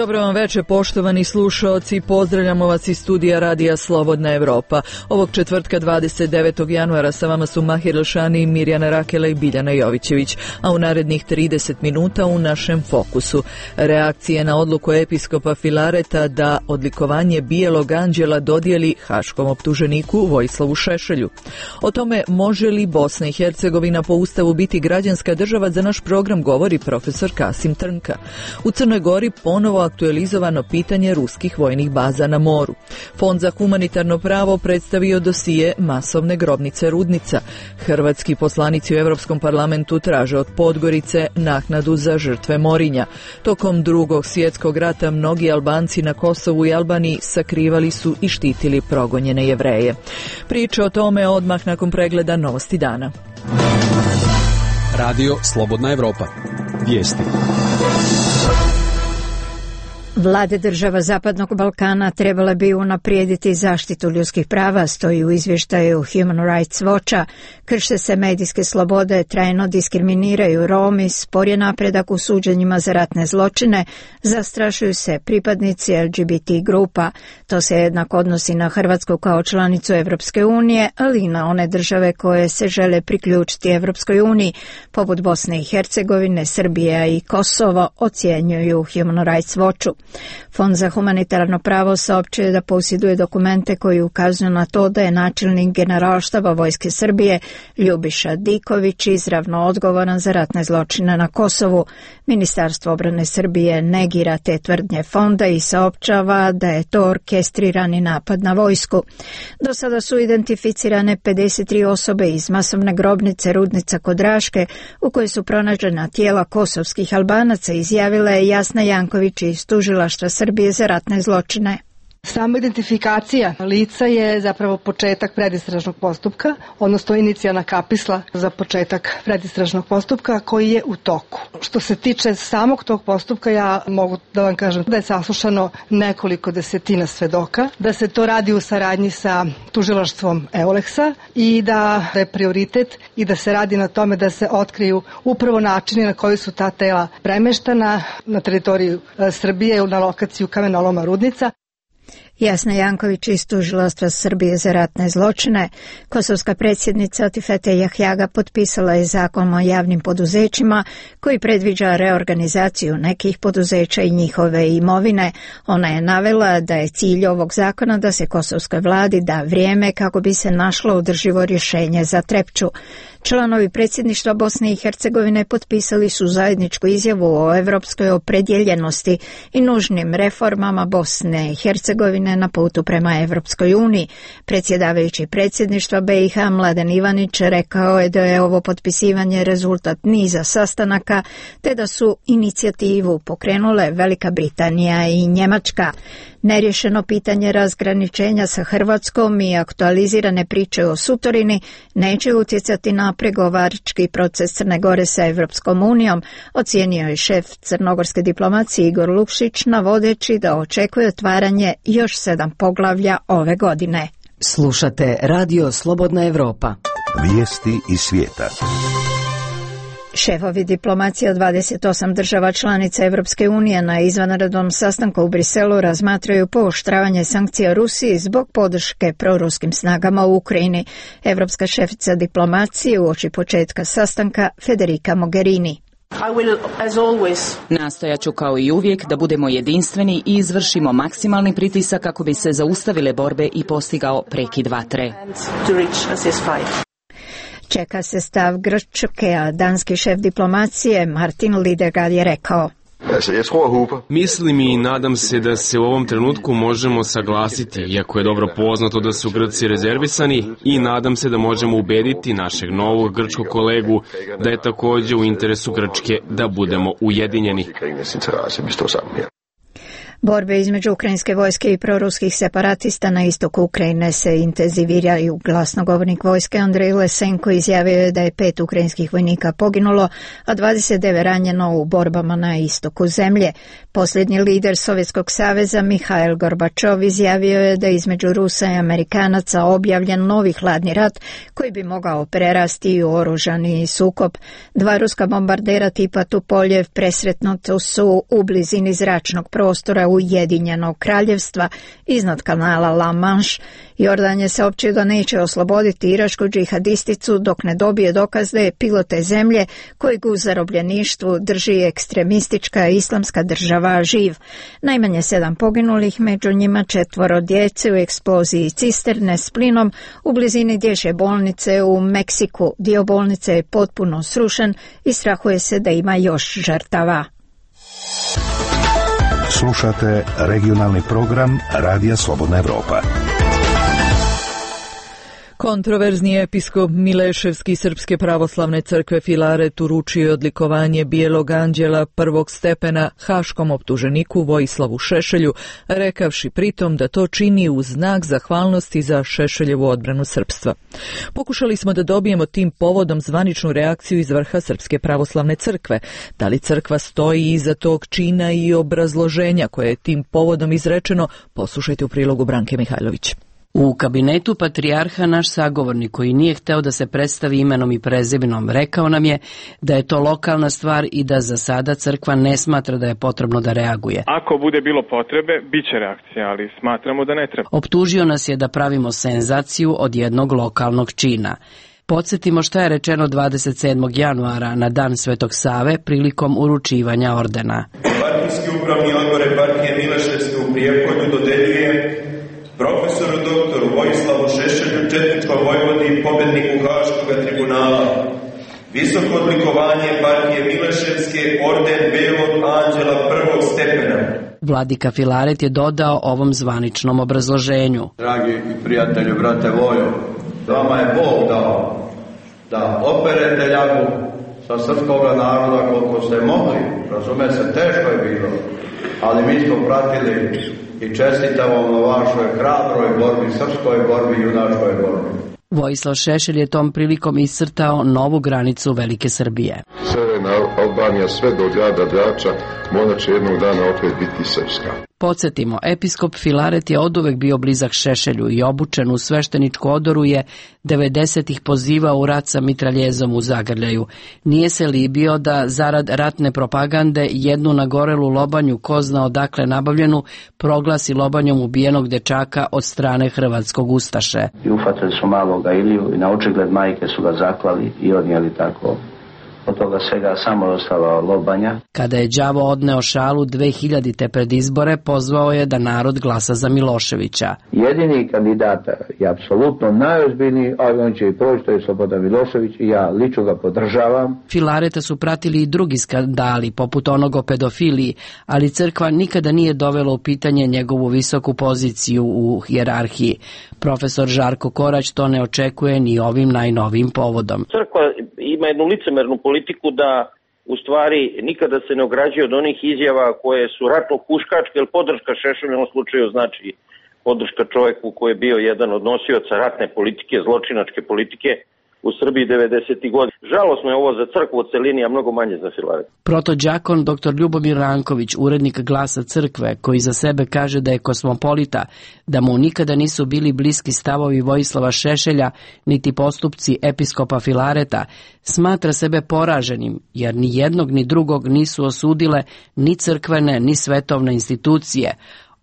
Dobro vam večer, poštovani slušaoci, pozdravljamo vas iz studija Radija Slobodna Evropa. Ovog četvrtka 29. januara sa vama su Mahir Elšani, Mirjana Rakela i Biljana Jovićević, a u narednih 30 minuta u našem fokusu. Reakcije na odluku episkopa Filareta da odlikovanje Bijelog anđela dodijeli haškom optuženiku Vojislavu Šešelju. O tome može li Bosna i Hercegovina po Ustavu biti građanska država, za naš program govori profesor Kasim Trnka. U Crnoj Gori ponovo aktualizovano pitanje ruskih vojnih baza na moru. Fond za humanitarno pravo predstavio dosije masovne grobnice Rudnica. Hrvatski poslanici u Europskom parlamentu traže od Podgorice naknadu za žrtve Morinja. Tokom Drugog svjetskog rata mnogi Albanci na Kosovu i Albaniji sakrivali su i štitili progonjene Jevreje. Priče o tome odmah nakon pregleda Novosti dana. Radio Slobodna Evropa. Vijesti. Vlade država Zapadnog Balkana trebale bi unaprijediti zaštitu ljudskih prava, stoji u izvještaju Human Rights Watcha. Krše se medijske slobode, trajno diskriminiraju Romi, spor je napredak u suđenjima za ratne zločine, zastrašuju se pripadnici LGBT grupa. To se jednako odnosi na Hrvatsku kao članicu Evropske unije, ali i na one države koje se žele priključiti Evropskoj uniji, poput Bosne i Hercegovine, Srbije i Kosovo, ocjenjuju Human Rights Watchu. Fond za humanitarno pravo saopćuje da posjeduje dokumente koji ukazuju na to da je načelnik Generalštaba Vojske Srbije Ljubiša Diković izravno odgovoran za ratne zločine na Kosovu. Ministarstvo obrane Srbije negira te tvrdnje fonda i saopćava da je to orkestrirani napad na vojsku. Do sada su identificirane 53 osobe iz masovne grobnice Rudnica kod Raške, u kojoj su pronađena tijela kosovskih Albanaca, izjavila je Jasna Janković iz Tužilaštva Srbije za ratne zločine. Sama identifikacija lica je zapravo početak predistražnog postupka, odnosno inicijalna kapisla za početak predistražnog postupka koji je u toku. Što se tiče samog tog postupka, ja mogu da vam kažem da je saslušano nekoliko desetina svedoka, da se to radi u saradnji sa tužilaštvom Euleksa i da je prioritet i da se radi na tome da se otkriju upravo načini na koji su ta tela premeštana na teritoriju Srbije na lokaciju kamenoloma Rudnica. Jasna Janković iz Tužilaštva Srbije za ratne zločine. Kosovska predsjednica Atifete Jahjaga potpisala je zakon o javnim poduzećima koji predviđa reorganizaciju nekih poduzeća i njihove imovine. Ona je navela da je cilj ovog zakona da se kosovskoj vladi da vrijeme kako bi se našlo održivo rješenje za Trepču. Članovi predsjedništva Bosne i Hercegovine potpisali su zajedničku izjavu o evropskoj opredjeljenosti i nužnim reformama Bosne i Hercegovine na putu prema Evropskoj uniji. Predsjedavajući predsjedništva BiH Mladen Ivanić rekao je da je ovo potpisivanje rezultat niza sastanaka, te da su inicijativu pokrenule Velika Britanija i Njemačka. Nerješeno pitanje razgraničenja sa Hrvatskom i aktualizirane priče o Sutorini neće utjecati na pregovarački proces Crne Gore sa Evropskom unijom, ocijenio je šef crnogorske diplomacije Igor Lukšić, navodeći da očekuje otvaranje još 7 poglavlja ove godine. Slušate Radio Slobodna Evropa. Vijesti iz svijeta. Šefovi diplomacije od 28 država članica Evropske unije na izvanrednom sastanku u Briselu razmatraju pooštravanje sankcija Rusiji zbog podrške proruskim snagama u Ukrajini. Evropska šefica diplomacije uoči početka sastanka Federica Mogherini. Nastojaću kao i uvijek da budemo jedinstveni i izvršimo maksimalni pritisak kako bi se zaustavile borbe i postigao prekid vatre. Čeka se stav Grčke, a danski šef diplomacije Martin Lidegaard je rekao: Mislim i nadam se da se u ovom trenutku možemo saglasiti, iako je dobro poznato da su Grci rezervisani, i nadam se da možemo ubediti našeg novog grčkog kolegu da je također u interesu Grčke da budemo ujedinjeni. Borbe između ukrajinske vojske i proruskih separatista na istoku Ukrajine se intenziviraju. Glasnogovornik vojske Andrej Lesenko izjavio je da je 5 ukrajinskih vojnika poginulo, a 29 ranjeno u borbama na istoku zemlje. Posljednji lider Sovjetskog saveza Mihail Gorbačov izjavio je da između Rusa i Amerikanaca objavljen novi hladni rat koji bi mogao prerasti u oružani sukob. 2 ruska bombardera tipa Tupoljev presretnuti su u blizini zračnog prostora Ujedinjenog kraljevstva iznad kanala La Manche. Jordan je saopćio da neće osloboditi iračku džihadisticu dok ne dobije dokaz da je pilot te zemlje kojeg u zarobljeništvu drži ekstremistička islamska država živ. Najmanje 7 poginulih, među njima 4 djece u eksploziji cisterne s plinom u blizini dječje bolnice u Meksiku. Dio bolnice je potpuno srušen i strahuje se da ima još žrtava. Slušate regionalni program Radija Slobodna Evropa. Kontroverzni episkop Mileševski Srpske pravoslavne crkve Filaret uručio je odlikovanje Bijelog anđela prvog stepena haškom optuženiku Vojislavu Šešelju, rekavši pritom da to čini u znak zahvalnosti za Šešeljevu odbranu srpstva. Pokušali smo da dobijemo tim povodom zvaničnu reakciju iz vrha Srpske pravoslavne crkve. Da li crkva stoji iza tog čina i obrazloženja koje je tim povodom izrečeno, poslušajte u prilogu Branke Mihajlović. U kabinetu patrijarha naš sagovornik, koji nije hteo da se predstavi imenom i prezimenom, rekao nam je da je to lokalna stvar i da za sada crkva ne smatra da je potrebno da reaguje. Ako bude bilo potrebe, bit će reakcija, ali smatramo da ne treba. Optužio nas je da pravimo senzaciju od jednog lokalnog čina. Podsjetimo šta je rečeno 27. januara na dan Svetog Save prilikom uručivanja ordena. Partijski upravni odbor eparhije Mileševske u Prijepolju dodeljuje profesoru doktoru Vojislavu Šešelju, četničkom vojvodi i pobedniku Haškog tribunala, visoko odlikovanje eparhije Mileševske, orden Belog anđela prvog stepena. Vladika Filaret je dodao ovom zvaničnom obrazloženju. Dragi prijatelju, brate Vojo, vama je Bog dao da operete ljagu sa srpskoga naroda koliko ste mogli. Razume se, teško je bilo, ali mi smo pratili i čestitamo na vašoj hrabroj borbi, srpskoj borbi, junačkoj borbi. Vojislav Šešelj je tom prilikom iscrtao novu granicu Velike Srbije. Severna Albanija sve do grada Drača možda će jednog dana opet biti srpska. Podsjetimo, episkop Filaret je oduvek bio blizak Šešelju i obučen u svešteničku odoru je 90-ih pozivao u rat sa mitraljezom u zagrljaju. Nije se libio da zarad ratne propagande jednu nagorelu lobanju, ko zna odakle nabavljenu, proglasi lobanjom ubijenog dečaka od strane hrvatskog ustaše. I ufatili su maloga Iliju i na očigled majke su ga zaklali i odnijeli tako. Od toga svega samo ostala lobanja. Kada je đavo odneo šalu 2000. pred izbore, pozvao je da narod glasa za Miloševića. Jedini kandidat je apsolutno najozbiljniji, ali on će i proći, to je Slobodan Milošević i ja lično ga podržavam. Filareta su pratili i drugi skandali, poput onog o pedofiliji, ali crkva nikada nije dovela u pitanje njegovu visoku poziciju u hijerarhiji. Profesor Žarko Korać to ne očekuje ni ovim najnovijim povodom. Crkva ima jednu licemernu politiku da u stvari nikada se ne ograđuje od onih izjava koje su ratno huškačke, jer podrška Šešelju u ovom slučaju znači podrška čovjeku koji je bio jedan od nosioca ratne politike, zločinačke politike u Srbiji 90. godina. Žalosno je ovo za crkvu u celini, a mnogo manje za Filaret. Protođakon dr. Ljubomir Ranković, urednik Glasa crkve, koji za sebe kaže da je kosmopolita, da mu nikada nisu bili bliski stavovi Vojislava Šešelja, niti postupci episkopa Filareta, smatra sebe poraženim, jer ni jednog ni drugog nisu osudile ni crkvene, ni svetovne institucije.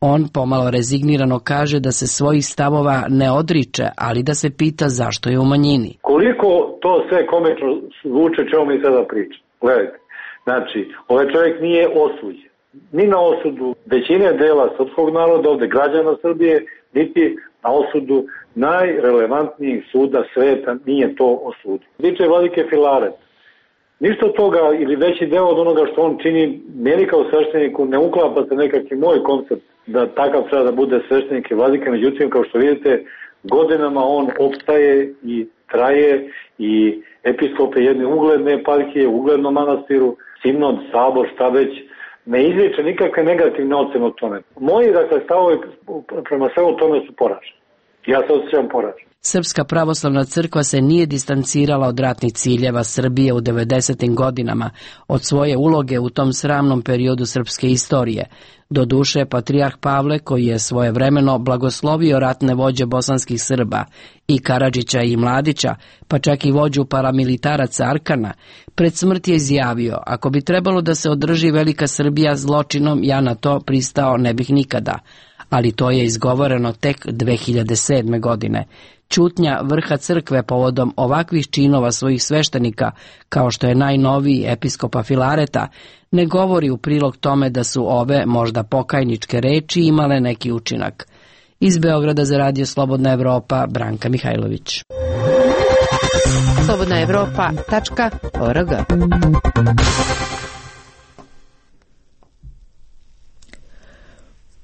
On pomalo rezignirano kaže da se svojih stavova ne odriče, ali da se pita zašto je u manjini. Koliko to sve komično zvuče čemu mi sada pričamo? Gledajte, znači, ovaj čovjek nije osuđen. Ni na osudu većine dela srpskog naroda, ovde građana Srbije, niti na osudu najrelevantnijih suda sveta nije to osudio. Tiče vladike Filaret. Ništa od toga ili veći deo od onoga što on čini, meni kao svešteniku ne uklapa se nekakvi moj koncept da takav treba da bude sveštenik i vladika. Međutim, kao što vidite, godinama on opstaje i traje i episkop je jedne ugledne eparhije, uglednom manastiru, sinod, sabor, šta već, ne izliče nikakve negativne ocene o tome. Moji, dakle, stavovi prema svemu tome su poraženi. Ja se osjećam poražen. Srpska pravoslavna crkva se nije distancirala od ratnih ciljeva Srbije u 90. godinama, od svoje uloge u tom sramnom periodu srpske istorije. Doduše, patrijarh Pavle, koji je svojevremeno blagoslovio ratne vođe bosanskih Srba, i Karadžića i Mladića, pa čak i vođu paramilitaraca Arkana, pred smrt je izjavio: ako bi trebalo da se održi velika Srbija zločinom, ja na to pristao ne bih nikada. Ali to je izgovoreno tek 2007. godine. Ćutnja vrha crkve povodom ovakvih činova svojih sveštenika, kao što je najnoviji episkopa Filareta, ne govori u prilog tome da su ove možda pokajničke reči imale neki učinak. Iz Beograda za Radio Slobodna Evropa, Branka Mihajlović. slobodnaevropa.org.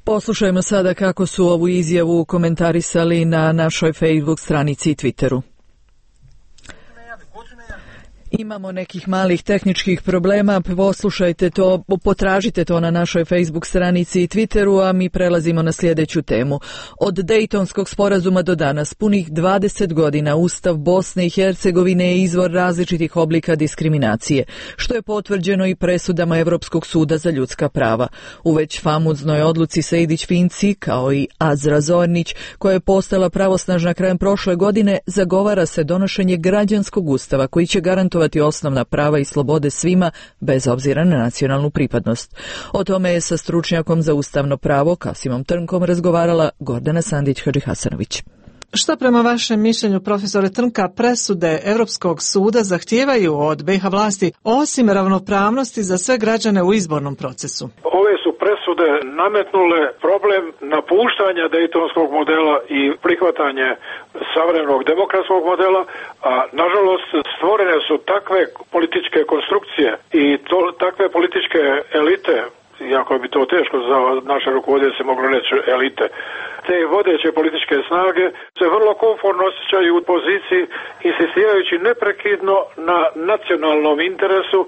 Poslušajmo sada kako su ovu izjavu komentarisali na našoj Facebook stranici i Twitteru. Imamo nekih malih tehničkih problema, poslušajte to, potražite to na našoj Facebook stranici i Twitteru, a mi prelazimo na sljedeću temu. Od Dejtonskog sporazuma do danas, punih 20 godina, Ustav Bosne i Hercegovine je izvor različitih oblika diskriminacije, što je potvrđeno i presudama Evropskog suda za ljudska prava. U već famuznoj odluci Sejdić-Finci, kao i Azra Zornić, koja je postala pravosnažna krajem prošle godine, zagovara se donošenje građanskog ustava koji će garantovati osnovna prava i slobode svima, bez obzira na nacionalnu pripadnost. O tome je sa stručnjakom za ustavno pravo Kasimom Trnkom razgovarala Gordana Sandić-Hadžihasanović. Šta prema vašem mišljenju, profesore Trnka, presude Evropskog suda zahtijevaju od BiH vlasti osim ravnopravnosti za sve građane u izbornom procesu? Ove su presude nametnule problem napuštanja dejtonskog modela i prihvatanje savremenog demokratskog modela, a nažalost stvorene su takve političke konstrukcije i takve političke elite, iako bi to teško za naše rukovodioce se moglo reći elite, te vodeće političke snage se vrlo komfortno osjećaju u poziciji insistirajući neprekidno na nacionalnom interesu,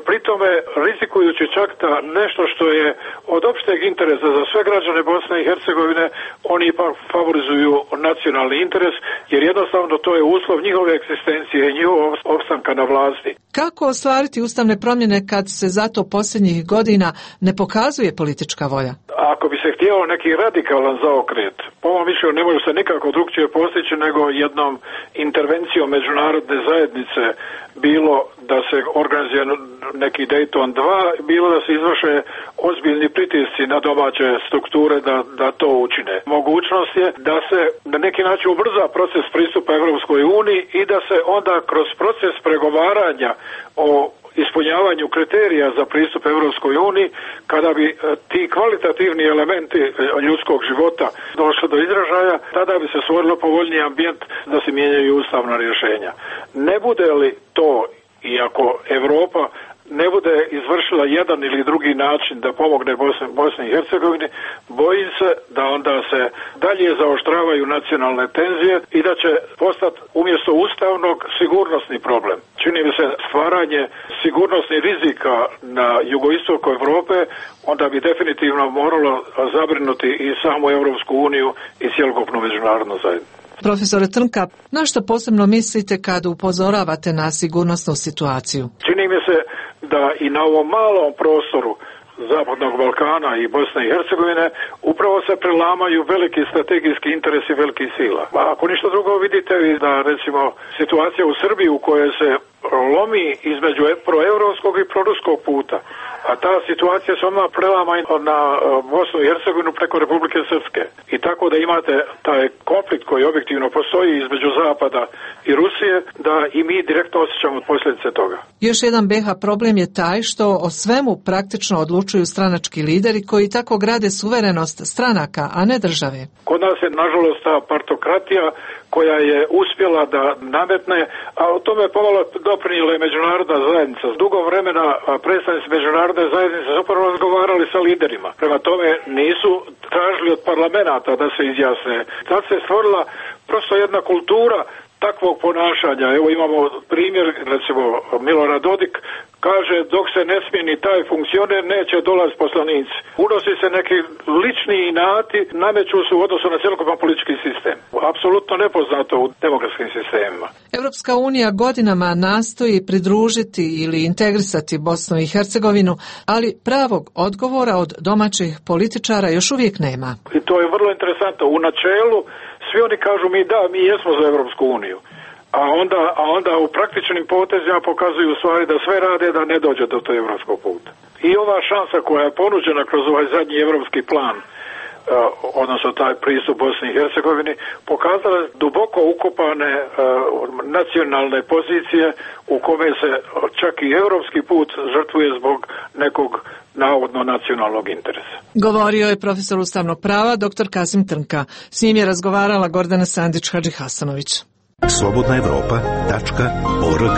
pritome rizikujući čak da nešto što je od opšteg interesa za sve građane Bosne i Hercegovine, oni ipak favorizuju nacionalni interes, jer jednostavno to je uslov njihove egzistencije i njihovog opstanka na vlasti. Kako ostvariti ustavne promjene kad se zato posljednjih godina ne pokazuje politička volja? Ako bi se htjelo neki radikalan zaokret, po mom mišljenju ne može se nikako drugčije postići nego jednom intervencijom međunarodne zajednice, bilo da se organizuje neki Dayton 2, bilo da se izvrše ozbiljni pritisci na domaće strukture da to učine. Mogućnost je da se na neki način ubrza proces pristupa Evropskoj uniji i da se onda kroz proces pregovaranja o ispunjavanju kriterija za pristup Evropskoj uniji, kada bi ti kvalitativni elementi ljudskog života došli do izražaja, tada bi se stvorilo povoljniji ambijent da se mijenjaju ustavna rješenja. Ne bude li to, iako Evropa ne bude izvršila jedan ili drugi način da pomogne Bosni i Hercegovini, bojim se da onda se dalje zaoštravaju nacionalne tenzije i da će postati umjesto ustavnog sigurnosni problem. Čini mi se stvaranje sigurnosnih rizika na jugoistoku Europe, onda bi definitivno moralo zabrinuti i samu Europsku uniju i cjelokupnu međunarodnu zajednicu. Profesore Trnka, na što posebno mislite kad upozoravate na sigurnosnu situaciju? Čini mi se da i na ovom malom prostoru Zapadnog Balkana i Bosne i Hercegovine upravo se prelamaju veliki strategijski interesi velikih sila. A ako ništa drugo vidite da recimo situacija u Srbiji u kojoj se lomi između proevropskog i proruskog puta, a ta situacija se odmah prelama na Bosnu i Hercegovinu preko Republike Srpske. I tako da imate taj konflikt koji objektivno postoji između Zapada i Rusije, da i mi direktno osjećamo posljedice toga. Još jedan BiH problem je taj što o svemu praktično odlučuju stranački lideri koji tako grade suverenost stranaka, a ne države. Kod nas je nažalost ta partokratija koja je uspjela da nametne, a o tome pomalo doprinijela je međunarodna zajednica. S dugo vremena predstavnici međunarodne zajednice su upravo razgovarali sa liderima. Prema tome nisu tražili od parlamenta da se izjasne. Tad se stvorila prosto jedna kultura takvog ponašanja. Evo imamo primjer, recimo Milorad Dodik kaže dok se ne smijeni taj funkcioner neće dolaz poslanici. Unosi se neki lični inati, nameću se u odnosu na cjelokupan politički sistem. Apsolutno nepoznato u demokratskim sistemima. Europska unija godinama nastoji pridružiti ili integrisati Bosnu i Hercegovinu, ali pravog odgovora od domaćih političara još uvijek nema. I to je vrlo interesantno. U načelu svi oni kažu mi jesmo za Europsku uniju. A onda u praktičnim potezima pokazuju u stvari da sve rade da ne dođe do tog europskog puta. I ova šansa koja je ponuđena kroz ovaj zadnji europski plan, odnosno taj pristup Bosni i Hercegovini, pokazala duboko ukopane nacionalne pozicije u kome se čak i europski put žrtvuje zbog nekog navodno nacionalnog interesa. Govorio je profesor ustavnog prava dr. Kasim Trnka. S njim je razgovarala Gordana Sandić-Hadžihasanović. slobodnaevropa.org.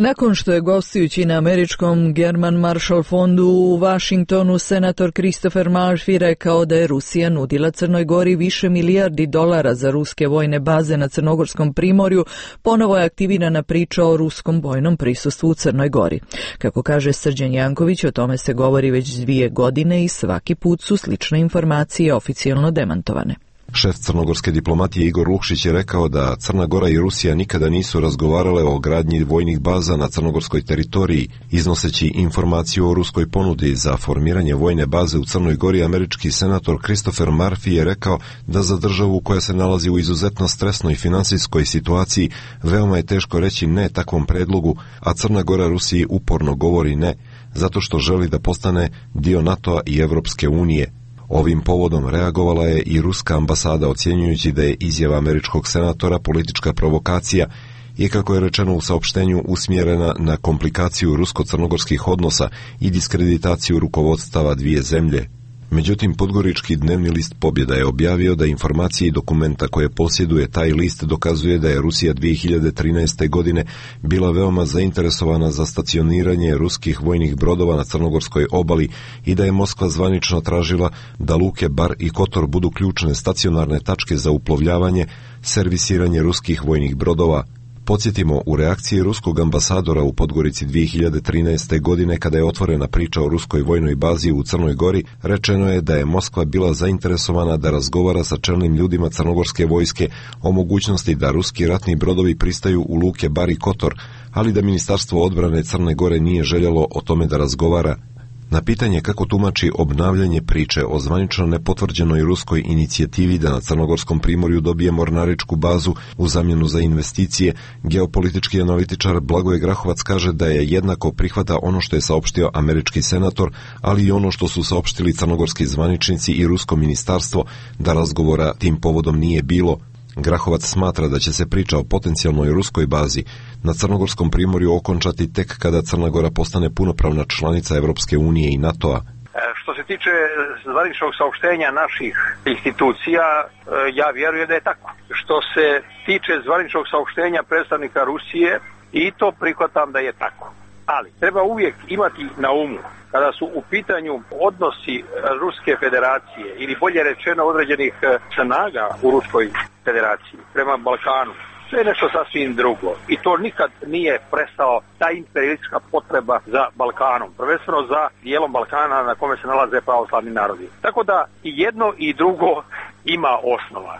Nakon što je gostujući na američkom German Marshall fondu u Washingtonu senator Christopher Murphy rekao da je Rusija nudila Crnoj Gori više milijardi dolara za ruske vojne baze na Crnogorskom primorju, ponovo je aktivirana priča o ruskom vojnom prisustvu u Crnoj Gori. Kako kaže Srđan Janković, o tome se govori već 2 godine i svaki put su slične informacije oficijalno demantovane. Šef crnogorske diplomatije Igor Lukšić je rekao da Crna Gora i Rusija nikada nisu razgovarale o gradnji vojnih baza na crnogorskoj teritoriji. Iznoseći informaciju o ruskoj ponudi za formiranje vojne baze u Crnoj Gori, američki senator Christopher Murphy je rekao da za državu koja se nalazi u izuzetno stresnoj finansijskoj situaciji veoma je teško reći ne takvom predlogu, a Crna Gora Rusiji uporno govori ne, zato što želi da postane dio NATO-a i Evropske unije. Ovim povodom reagovala je i ruska ambasada, ocjenjujući da je izjava američkog senatora politička provokacija i, kako je rečeno u saopštenju, usmjerena na komplikaciju rusko-crnogorskih odnosa i diskreditaciju rukovodstava dvije zemlje. Međutim, podgorički dnevni list Pobjeda je objavio da informacije i dokumenta koje posjeduje taj list dokazuje da je Rusija 2013. godine bila veoma zainteresovana za stacioniranje ruskih vojnih brodova na crnogorskoj obali i da je Moskva zvanično tražila da luke Bar i Kotor budu ključne stacionarne tačke za uplovljavanje, servisiranje ruskih vojnih brodova. Podsjetimo, u reakciji ruskog ambasadora u Podgorici 2013. godine, kada je otvorena priča o ruskoj vojnoj bazi u Crnoj Gori, rečeno je da je Moskva bila zainteresovana da razgovara sa čelnim ljudima crnogorske vojske o mogućnosti da ruski ratni brodovi pristaju u luke Bar i Kotor, ali da Ministarstvo odbrane Crne Gore nije željelo o tome da razgovara. Na pitanje kako tumači obnavljanje priče o zvanično nepotvrđenoj ruskoj inicijativi da na Crnogorskom primorju dobije mornaričku bazu u zamjenu za investicije, geopolitički analitičar Blagoje Grahovac kaže da je jednako prihvata ono što je saopštio američki senator, ali i ono što su saopštili crnogorski zvaničnici i rusko ministarstvo, da razgovora tim povodom nije bilo. Grahovac smatra da će se priča o potencijalnoj ruskoj bazi na Crnogorskom primorju okončati tek kada Crna Gora postane punopravna članica Evropske unije i NATO-a. Što se tiče zvaničnog saopštenja naših institucija, ja vjerujem da je tako. Što se tiče zvaničnog saopštenja predstavnika Rusije, i to prihvatam da je tako. Ali treba uvijek imati na umu, kada su u pitanju odnosi Ruske federacije ili bolje rečeno određenih snaga u Ruskoj federaciji prema Balkanu, to je nešto sasvim drugo. I to nikad nije prestao ta imperialistička potreba za Balkanom, prvenstveno za dijelom Balkana na kome se nalaze pravoslavni narodi. Tako da i jedno i drugo ima osnova.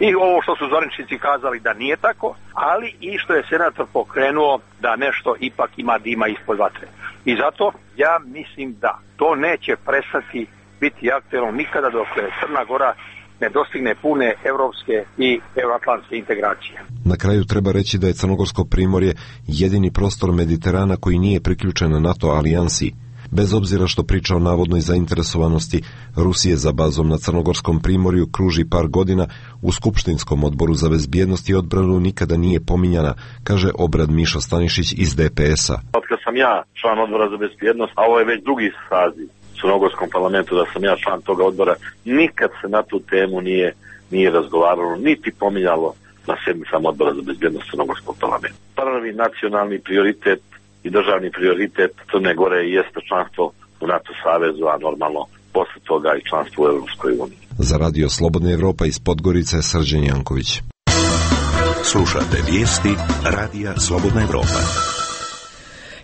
I ovo što su zvaničnici kazali da nije tako, ali i što je senator pokrenuo da nešto ipak ima dima ispod vatre. I zato ja mislim da to neće prestati biti aktuelno nikada dok Crna Gora ne dostigne pune evropske i euroatlantske integracije. Na kraju treba reći da je Crnogorsko primorje jedini prostor Mediterana koji nije priključen na NATO alijansi. Bez obzira što priča o navodnoj zainteresovanosti Rusije za bazom na Crnogorskom primorju kruži par godina, u Skupštinskom odboru za bezbjednost i odbranu nikada nije pominjana, kaže Obrad Mišo Stanišić iz DPS-a. Otkad sam ja član odbora za bezbjednost, a ovo je već drugi saziv u Crnogorskom parlamentu da sam ja član toga odbora, nikad se na tu temu nije razgovaralo, niti pominjalo na sedmicama odbora za bezbjednost Crnogorskog parlamenta. Prvi nacionalni prioritet i državni prioritet Crne Gore jeste članstvo u NATO savezu, a normalno posle toga i članstvo u Evropskoj uniji. Za Radio Slobodna Evropa iz Podgorice, Srđan Janković. Slušate vijesti Radija Slobodna Evropa.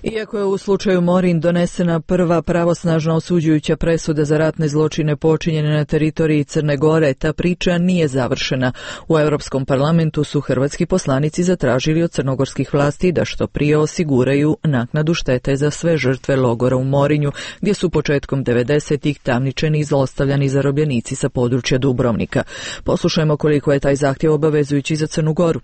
Iako je u slučaju Morin donesena prva pravosnažna osuđujuća presuda za ratne zločine počinjene na teritoriji Crne Gore, ta priča nije završena. U Europskom parlamentu su hrvatski poslanici zatražili od crnogorskih vlasti da što prije osiguraju naknadu štete za sve žrtve logora u Morinju, gdje su početkom 90-ih tamničeni i zlostavljani zarobljenici sa područja Dubrovnika. Poslušajmo koliko je taj zahtjev obavezujući za Crnu Goru.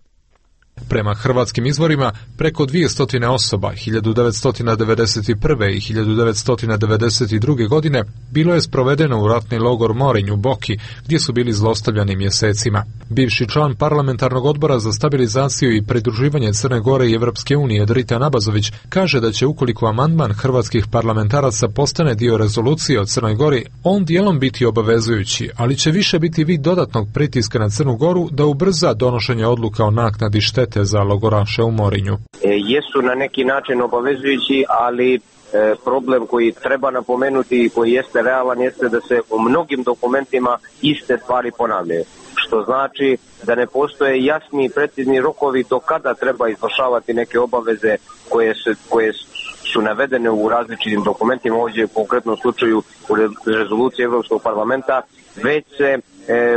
Prema hrvatskim izvorima, preko 200 osoba 1991. i 1992. godine bilo je sprovedeno u ratni logor Morinj u Boki, gdje su bili zlostavljani mjesecima. Bivši član parlamentarnog odbora za stabilizaciju i pridruživanje Crne Gore i Evropske unije Dritan Abazović kaže da će ukoliko amandman hrvatskih parlamentaraca postane dio rezolucije o Crnoj Gori, on dijelom biti obavezujući, ali će više biti vid dodatnog pritiska na Crnu Goru da ubrza donošenje odluka o naknadi štete za logoraše u Morinju. Jesu na neki način obavezujući, ali problem koji treba napomenuti i koji jeste realan jeste da se u mnogim dokumentima iste stvari ponavljaju. Što znači da ne postoje jasni i precizni rokovi do kada treba izvršavati neke obaveze koje su navedene u različitim dokumentima, ovdje u konkretnom slučaju u rezoluciji Europskog parlamenta, već se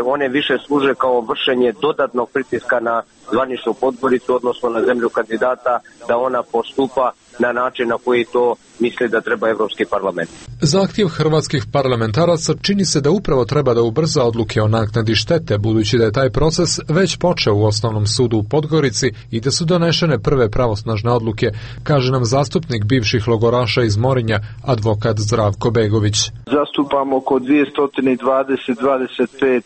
one više služe kao vršenje dodatnog pritiska na zvaničnu podgoricu, odnosno na zemlju kandidata, da ona postupa na način na koji to misli da treba Evropski parlament. Zahtjev hrvatskih parlamentaraca čini se da upravo treba da ubrza odluke o naknadi štete, budući da je taj proces već počeo u Osnovnom sudu u Podgorici i da su donešene prve pravosnažne odluke, kaže nam zastupnik bivših logoraša iz Morinja, advokat Zdravko Begović. Zastupamo oko 220-25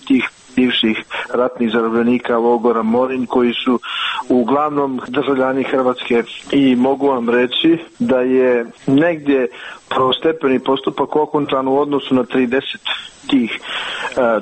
tih bivših ratnih zarobljenika logora Morinj koji su uglavnom državljani Hrvatske i mogu vam reći da je negdje prvostepeni postupak okončan u odnosu na 30 tih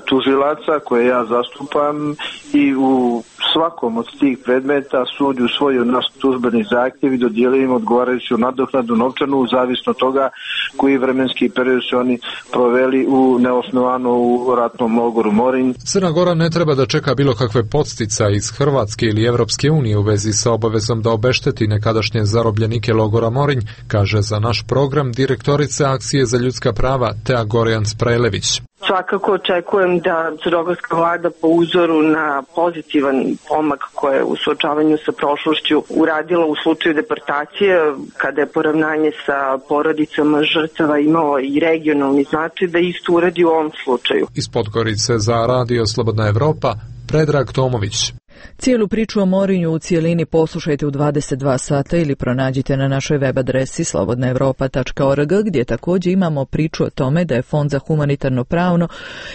tužilaca koje ja zastupam i u svakom od tih predmeta sud usvojio naš tužbeni zahtjev i dodijelio im odgovarajuću nadoknadu novčanu zavisno od toga koji vremenski period su oni proveli u neosnovano u ratnom logoru Morinj. Crna Gora ne treba da čeka bilo kakve podsticaje iz Hrvatske ili Evropske unije u vezi sa obavezom da obešteti nekadašnje zarobljenike logora Morinj, kaže za naš program direktorica Akcije za ljudska prava Tea Gorjan-Sprajlević. Svakako očekujem da crnogorska vlada po uzoru na pozitivan pomak koje je u suočavanju sa prošlošću uradila u slučaju deportacije, kada je poravnanje sa porodicama žrtava imalo i regionalni značaj, da isto uradi u ovom slučaju. Iz Podgorice za Radio Slobodna Evropa, Predrag Tomović. Cijelu priču o Morinju u cijelini poslušajte u 22 sata ili pronađite na našoj web adresi slobodnaevropa.org, gdje također imamo priču o tome da je Fond za humanitarno pravo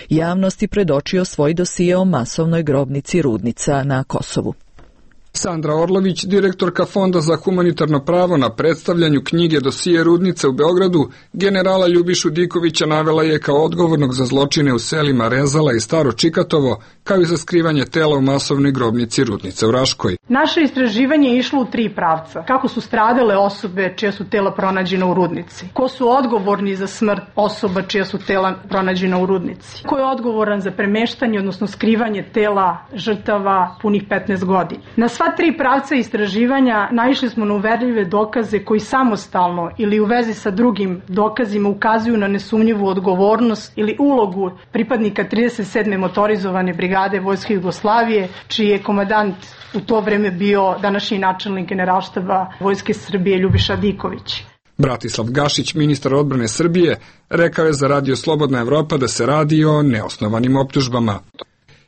javnosti predočio svoj dosije o masovnoj grobnici Rudnica na Kosovu. Sandra Orlović, direktorka Fonda za humanitarno pravo, na predstavljanju knjige Dosije Rudnice u Beogradu, generala Ljubišu Dikovića navela je kao odgovornog za zločine u selima Rezala i Staro Čikatovo, kao i za skrivanje tela u masovnoj grobnici Rudnice u Raškoj. Naše istraživanje je išlo u 3 pravca. Kako su stradale osobe čija su tela pronađena u Rudnici? Ko su odgovorni za smrt osoba čija su tela pronađena u Rudnici? Ko je odgovoran za premeštanje, odnosno skrivanje tela žrtava punih 15 godina? Na sva 3 pravca istraživanja naišli smo na uverljive dokaze koji samostalno ili u vezi sa drugim dokazima ukazuju na nesumnjivu odgovornost ili ulogu pripadnika 37. motorizovane brigade Vojske Jugoslavije, čiji je komandant u to vreme bio današnji načelnik Generalštaba Vojske Srbije Ljubiša Diković. Bratislav Gašić, ministar odbrane Srbije, rekao je za Radio Slobodna Evropa da se radi o neosnovanim optužbama.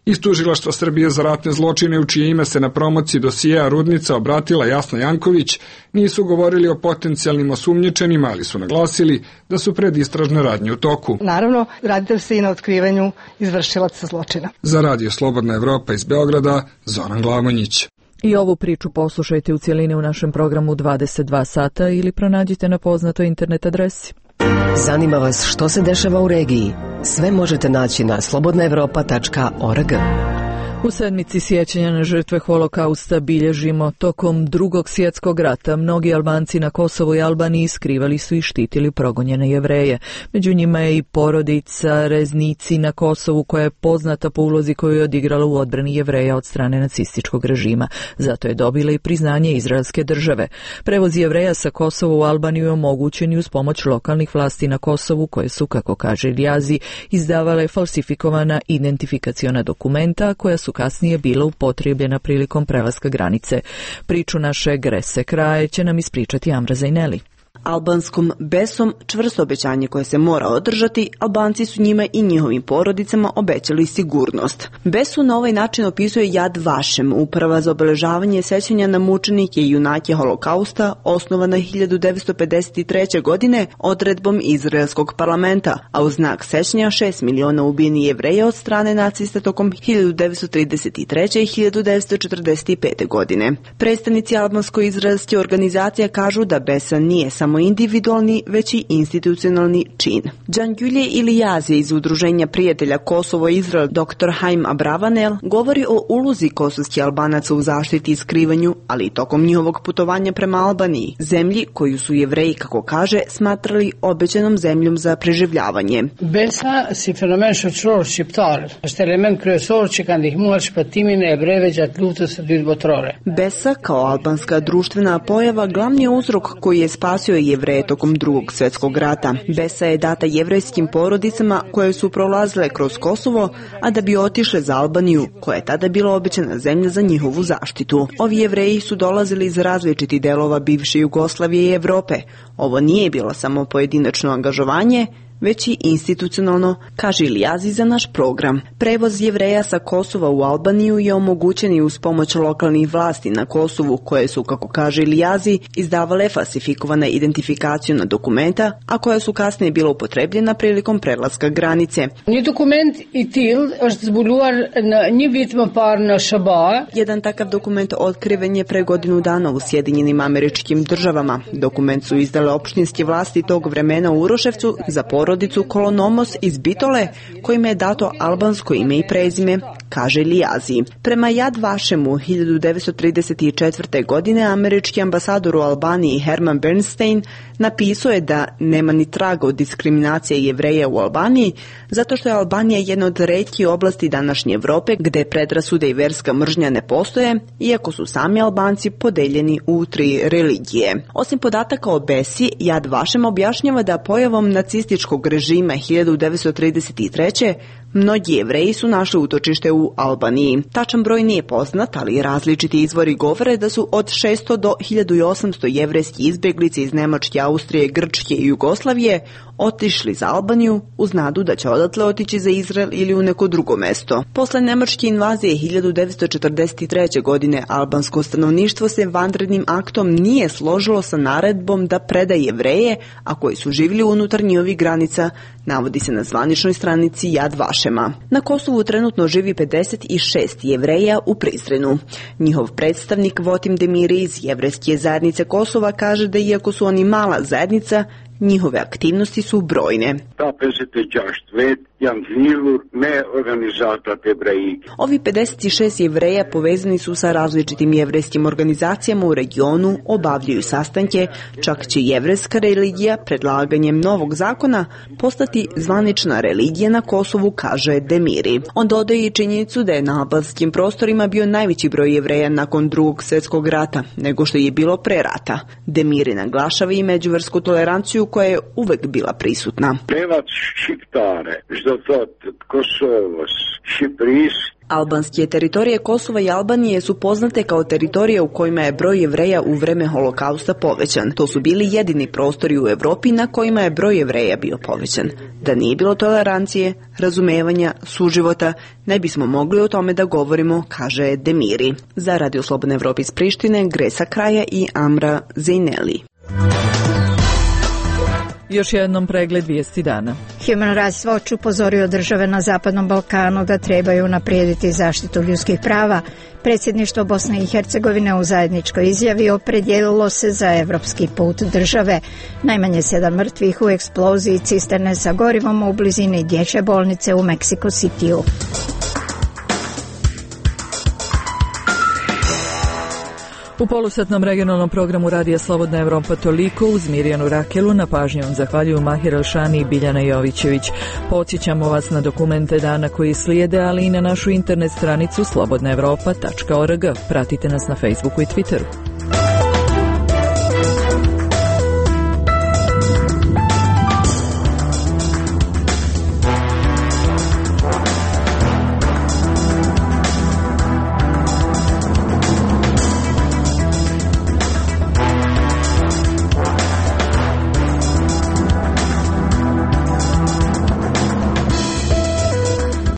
Iz Tužilaštva Srbije za ratne zločine, u čije ime se na promociji dosijeja Rudnica obratila Jasna Janković, nisu govorili o potencijalnim osumnjičenima, ali su naglasili da su predistražne radnje u toku. Naravno, radi se i na otkrivanju izvršilaca zločina. Za Radio Slobodna Evropa iz Beograda, Zoran Glamonjić. I ovu priču poslušajte u cijelini u našem programu 22 sata ili pronađite na poznatoj internet adresi. Zanima vas što se dešava u regiji? Sve možete naći na slobodnaevropa.org. U sedmici sjećanja na žrtve holokausta bilježimo tokom Drugog svjetskog rata. Mnogi Albanci na Kosovu i Albaniji skrivali su i štitili progonjene Jevreje. Među njima je i porodica Reznici na Kosovu koja je poznata po ulozi koju je odigrala u odbrani Jevreja od strane nacističkog režima. Zato je dobila i priznanje izraelske države. Prevoz Jevreja sa Kosova u Albaniju je omogućen i uz pomoć lokalnih vlasti na Kosovu koje su, kako kaže Iljazi, izdavale falsifikovana identifikaciona dokumenta koja su kasnije bila upotrijebljena prilikom prelaska granice. Priču naše Grese Kraje će nam ispričati Amra Zajneli. Albanskom besom, čvrsto obećanje koje se mora održati, Albanci su njima i njihovim porodicama obećali sigurnost. Besu na ovaj način opisuje Yad Vashem, uprava za obeležavanje sećanja na mučenike i junake holokausta, osnovana 1953. godine odredbom izraelskog parlamenta, a u znak sećanja 6 miliona ubijenih Jevreja od strane nacista tokom 1933. i 1945. godine. Predstavnici albansko-izraelske organizacije kažu da besa nije samo individualni, već i institucionalni čin. Đangülje Iljazi iz Udruženja prijatelja Kosovo-Izrael dr. Haim Abravanel govori o ulozi kosovskih Albanaca u zaštiti i skrivanju, ali i tokom njihovog putovanja prema Albaniji, zemlji koju su Jevreji, kako kaže, smatrali obećanom zemljom za preživljavanje. Besa si fenomen shoqëror shqiptar, është element kryesor që ka ndihmuar shpëtimin e Jevrejve gjatë luftës së dytë botërore. Besa kao albanska društvena pojava glavni je uzrok koji je spasio Jevreje tokom Drugog svjetskog rata. Besa je data jevrejskim porodicama koje su prolazile kroz Kosovo, a da bi otišle za Albaniju, koja je tada bila obećana zemlja za njihovu zaštitu. Ovi Jevreji su dolazili iz različitih delova bivše Jugoslavije i Evrope. Ovo nije bilo samo pojedinačno angažovanje, već i institucionalno, kaže Iljazi za naš program. Prevoz Jevreja sa Kosova u Albaniju je omogućen i uz pomoć lokalnih vlasti na Kosovu, koje su, kako kaže Iljazi, izdavale falsifikovana identifikaciona dokumenta, a koja su kasnije bila upotrebljena prilikom prelaska granice. Një dokument i till është zbuluar në një vit më parë në SBA. Jedan takav dokument otkriven je pre godinu dana u Sjedinjenim Američkim Državama. Dokument su izdale opštinske vlasti tog vremena u Uroševcu za porodicu Kolonomos iz Bitole, kojima je dato albansko ime i prezime, kaže Iljazi. Prema Yad Vashemu 1934. godine američki ambasador u Albaniji Herman Bernstein napisao je da nema ni traga od diskriminacije Jevreja u Albaniji, zato što je Albanija jedna od retkih oblasti današnje Evrope gde predrasude i verska mržnja ne postoje, iako su sami Albanci podeljeni u 3 religije. Osim podataka o Besi, Yad Vashem objašnjava da pojavom nacističkog režima 1933. mnogi Jevreji su našli utočište u Albaniji. Tačan broj nije poznat, ali različiti izvori govore da su od 600 do 1800 jevrejskih izbjeglica iz Nemačke, Austrije, Grčke i Jugoslavije otišli za Albaniju uz nadu da će odatle otići za Izrael ili u neko drugo mesto. Posle nemačke invazije 1943. godine albansko stanovništvo se vanrednim aktom nije složilo sa naredbom da preda Jevreje, a koji su živjeli unutar njihovih granica, navodi se na zvaničnoj stranici Yad Vashema. Na Kosovu trenutno živi 56 Jevreja u Prizrenu. Njihov predstavnik Votim Demiri iz jevrejske zajednice Kosova kaže da iako su oni mala zajednica, njihove aktivnosti su brojne. Ovi 56 Jevreja povezani su sa različitim jevrejskim organizacijama u regionu, obavljaju sastanke, čak će jevrejska religija predlaganjem novog zakona postati zvanična religija na Kosovu, kaže Demiri. On dodaje i činjenicu da je na albanskim prostorima bio najveći broj Jevreja nakon Drugog svjetskog rata, nego što je bilo pre rata. Demiri naglašava i međuversku toleranciju koja je uvek bila prisutna. Albanske teritorije Kosova i Albanije su poznate kao teritorije u kojima je broj Jevreja u vreme holokausta povećan. To su bili jedini prostori u Evropi na kojima je broj Jevreja bio povećan. Da nije bilo tolerancije, razumevanja, suživota, ne bismo mogli o tome da govorimo, kaže Demiri. Za Radio Slobodne Evrope iz Prištine, Gresa Kraja i Amra Zajneli. Još jednom pregled vijesti dana. Human Rights Watch upozorio države na Zapadnom Balkanu da trebaju unaprijediti zaštitu ljudskih prava. Predsjedništvo Bosne i Hercegovine u zajedničkoj izjavi opredijelilo se za evropski put države. Najmanje 7 mrtvih u eksploziji cisterne sa gorivom u blizini dječje bolnice u Mexico Cityu. U polusatnom regionalnom programu Radija Slobodna Evropa toliko. Uz Mirjanu Rakelu na pažnju vam zahvaljuju Mahir Elšani i Biljana Jovićević. Podsjećamo vas na dokumente dana koji slijede, ali i na našu internet stranicu slobodnaevropa.org. Pratite nas na Facebooku i Twitteru.